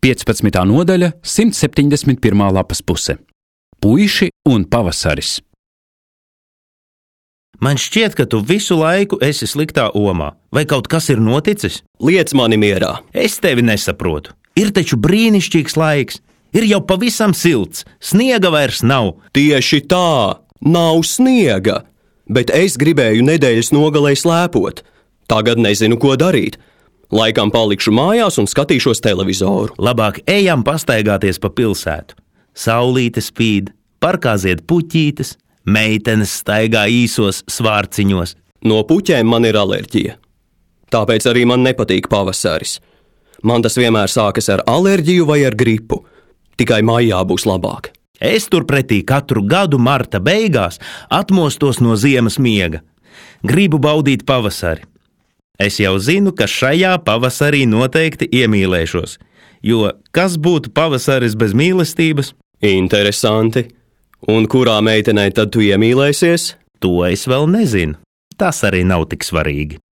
15. nodaļa, 171. lapas puse. Puiši un pavasaris. Man šķiet, ka tu visu laiku esi sliktā omā. Vai kaut kas ir noticis? Liec mani mierā. Es tevi nesaprotu. Ir taču brīnišķīgs laiks. Ir jau pavisam silts. Sniega vairs nav. Tieši tā, nav sniega. Bet es gribēju nedēļas nogalē slēpot. Tagad nezinu, ko darīt. Laikam palikšu mājās un skatīšos televizoru. Labāk ejam pastaigāties pa pilsētu. Saulīte spīd, parkā zied puķītes, meitenes staigā īsos svārciņos. No puķēm man ir alerģija. Tāpēc arī man nepatīk pavasaris. Man tas vienmēr sākas ar alerģiju vai ar gripu. Tikai maijā būs labāk. Es turpretī katru gadu marta beigās atmostos no ziemas miega. Gribu baudīt pavasari. Es jau zinu, ka šajā pavasarī noteikti iemīlēšos, jo kas būtu pavasaris bez mīlestības? Interesanti. Un kurā meitenei tad tu iemīlēsies? To es vēl nezinu. Tas arī nav tik svarīgi.